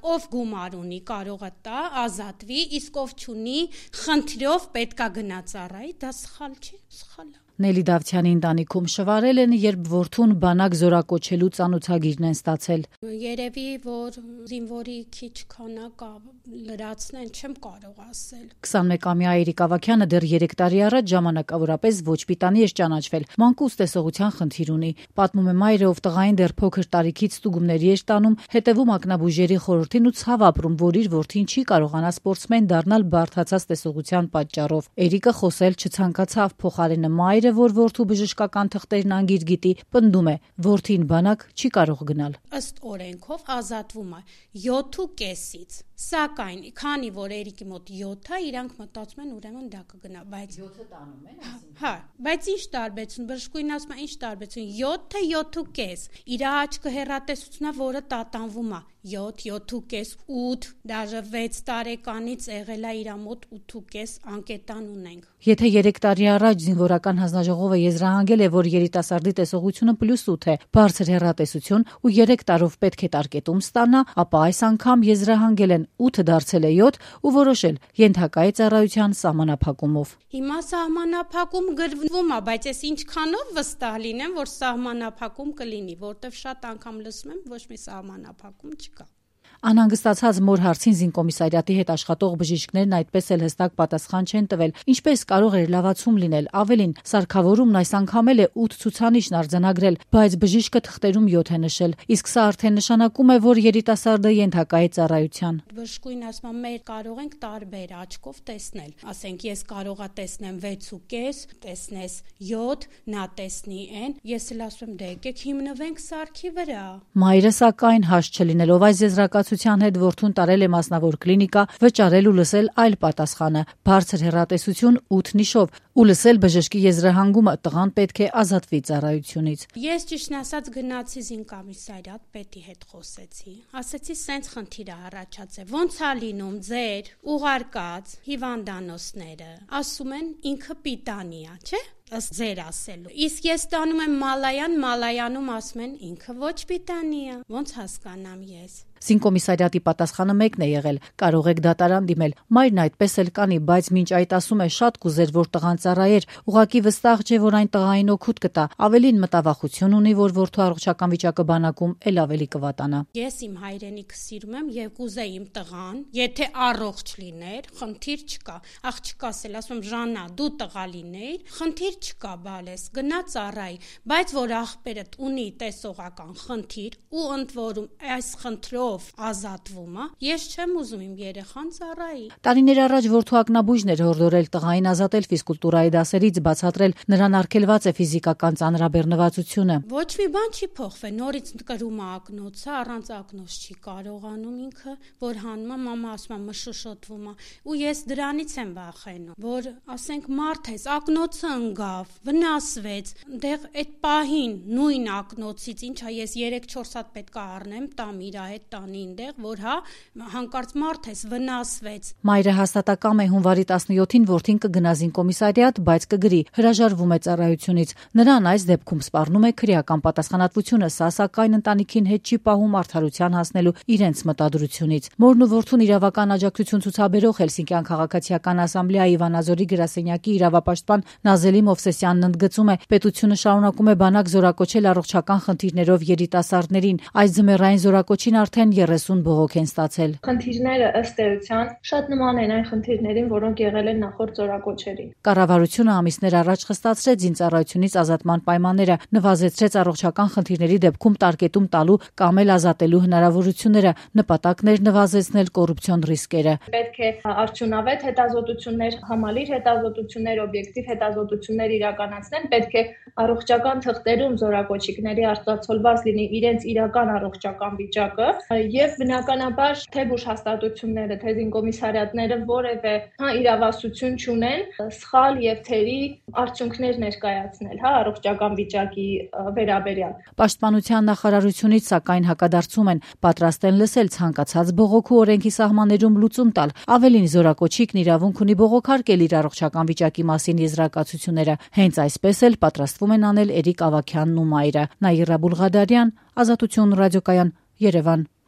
Ով գումար ունի, կարող է տա, ազատվի, իսկ ով չունի, խնդրով պետքա գնա ծառայի, դա սխալ չի, սխալ է։ Նելի Դավթյանի ընտանիքում շվարել են, երբ որդուն բանակ զորակոչելու ծանոթագիրն են ստացել։ Երևի, որ զինվորի քիչ քանակա լրացնեն, չեմ կարող ասել։ 21-ամյա Էրիկ Ավագյանը դեռ 3 տարի առաջ ժամանակավորապես ոչ պիտանի էր ճանաչվել, մանկուց տեսողության խնդիր ունի։ Պատմում է մայրը, ով տղային դեռ փոքր տարիքից ստուգումների էր տանում, հետևում ակնաբուժերի խորհրդին ու ցավ ապրում, որ իր որդին չի կարողանա սպորտսմեն դառնալ բարդացած տեսողության պատճառով։ Էրիկը խոսել չցանկացավ, փոխարենը մայրը, որ որդու բժշկական թղթերն անգիր գիտի, պնդում է, որդին բանակ չի կարող գնալ։ Ըստ օրենքով ազատվում է 7.5-ից, սակայն քանի որ Էրիկի մոտ 7 է, իրանք մտածում են ուրեմն դա կգնա, բայց 7-ը տանում են, հա, բայց ինչ տարբերություն, բժշկուհին ասում է, ինչ տարբերություն, 7-ը 7.5, իր աչքը հեռատեսությունն է, որը տատանվում է 7, 7.5, 8, դաժե 6 տարեկանից եղել է իր մոտ 8.5 անկետան ունենք։ Եթե 3 տարի առաջ զինվորական հանձնաժողովը եզրահանգել է, որ երիտասարդի տեսողությունը +8 է, բարձր հեռատեսություն ու 3 տարով պետք է տարկետում ստանա, ապա այս անգամ եզրահանգել են 8 դարձել է 7 ու որոշել ենթակայի ծառայության սահմանափակումով։ Հիմա սահմանափակում գրվում է, բայց ես ինչքանով վստահ լինեմ, որ սահմանափակում կլինի, որտեվ շատ անգամ լսում եմ, ոչ մի սահմանափակում չկա։ Անհանգստացած մոր հարցին զինկոմիսարիատի հետ աշխատող բժիշկներն այդպես էլ հստակ պատասխան չեն տվել, ինչպես կարող էր լավացում լինել, ավելին, սարքավորումն այս անգամ էլ է 8 ցուցանիշն արձանագրել, բայց բժիշկը թղթերում 7 է նշել, իսկ սա արդեն նշանակում է, որ երիտասարդը ենթակա է ծառայության։ Բժշկուհին ասում է, մեր կարող ենք տարբեր աչքով տեսնել, ասենք ես կարողա տեսնեմ 6.5, տեսնես 7, նա տեսնի n, ես էլ ասում եմ, դե եկեք հիմնվենք սարքի վրա։ Մայրը սակայն հաշ չլինելով այս եզրակացության հետ որդուն տարել է մասնավոր կլինիկա, վճարել ու լսել այլ պատասխանը՝ բարձր հեռատեսություն 8 նիշով, ու լսել բժշկի եզրահանգումը՝ տղան պետք է ազատվի ծառայությունից։ Ես ճիշտն ասած գնացի զինկոմիսարիատ, պետի հետ խոսեցի, ասեցի սենց խնդիր է առաջացել, ոնց է լինում ձեր ուղարկած հիվանդանոցները, ասում են ինքը պիտանի է, չէ՞։ Ըստ ձեր ասելու։ Իսկ ես տանում եմ Մալայանում ասում են ինքը ոչ պիտանի է։ Ոնց հասկանամ ես։ Զինկոմիսարիատի պատասխանը մեկն է եղել՝ կարող եք դատարան դիմել։ Մայրն այդպես էլ կանի, բայց մինչ այդ ասում է շատ կուզեր, որ տղան ծառայեր, ուղղակի վստահ չէ, որ այն տղային օգուտ կտա, ավելին մտավախություն ունի, որ որդու առողջական վիճակը բանակում էլ ավելի կվատանա։ Ես իմ հայրենիքը սիրում եմ եւ կուզեի իմ տղան, եթե առողջ լիներ, խնդիր չկա։ Աղջկաս էլ ասում Ժաննա, դու տղա լինեիր, խնդիր չկա, բալես, գնա ծառայի, բայց որ աղբերդ ունի տեսողական խնդիր ու ընդ որում այս խնդրով ազատվում է, ես չեմ ուզում իմ երեխան ծառայի։ Տարիներ առաջ որդու ակնաբույժն էր հորդորել տղային ազատել ֆիզկուլտուրայի դասերից, բացատրել նրան արգելված է ֆիզիկական ծանրաբեռնվածությունը։ Ոչ մի բան չի փոխվել, նորից կրում է ակնոցը, առանց ակնոց չի կարողանում ինքը, որ հանում է, մամա ասում է մշուշոտվում է, ու ես դրանից եմ վախենում, որ ասենք մարդ ես, ակնոցը ընկավ, վնասվեց, դեղ այդ պահին նույն ակնոցից, ինչա ես 3-4 հատ պետք է առնեմ, տամ իր հետ տանին դեղ, որ հա հանկարծ մարդ ես վնասվեց։ Մայրը հաստատակամ է հունվարի 17-ին որդին կգնա զինկոմիսարիատ, բայց կգրի, հրաժարվում է ծառայությունից։ Նրան այս դեպքում սպառնում է քրեական պատասխանատվությունը, սա սակայն ընտանիքին հետ չի պահում արդարության հասնելու իրենց մտադրությունից։ Մորն ու որդուն իրավական աջակցություն ցուցաբերող Հելսինկյան քաղաքացիական ասամբլեայի Վանաձորի գրասենյակի իրավապաշտպան Նազելի Մովսեսյանն ընդգծում է, պետությունը շարունակում է բանակ զորակոչել առողջական խնդիրներով երիտասարդներին։ Այս ձմեռային զորակոչին արդեն 30 բողոք են ստացել։ Խնդիրները ըստ էության շատ նման են այն խնդիրներին, որոնք եղել են նախորդ զորակոչերին։ Կառավարությունը ամիսներ առաջ խստացրեց զինծառայությունից ազատման պայմանները, նվազեցրեց առողջական խնդիրների դեպքում տարկետում տալու կամ էլ ազատելու հնարավորությունները, նպատակն էր նվազեցնել կոռուպցիոն ռիսկերը։ Պետք է արդյունավետ հետազոտություններ, համալիր հետազոտություններ, օբյեկտիվ հետազոտություններ իրականացնել, պետք է առողջական թղթերում զորակոչիկների արտացոլված լինի իրենց իրական առողջական վիճակը եւ բնականաբար թե բուժհաստատությունները, թե զինկոմիսարիատները որևէ իրավասություն չունեն սխալ եւ թերի արդյունքներ ներկայացնել, առողջական վիճակի վերաբերյալ։ Պաշտպանության նախարարությունից սակայն հակադարձում են, պատրաստ են լսել ցանկացած բողոք ու օրենքի սահմաններում լուծում տալ։ Ավելին, զորակոչիկն իրավունք ունի բողոքարկել իր առողջական վիճակի մասին եզրակացությունները։ Հենց այսպես էլ պատրաստվում են անել Էրիկ Ավագյանն ու մայրը։ Նաիրա Բուլղադարյան, Ազատություն ռադիոկայան, Երևան։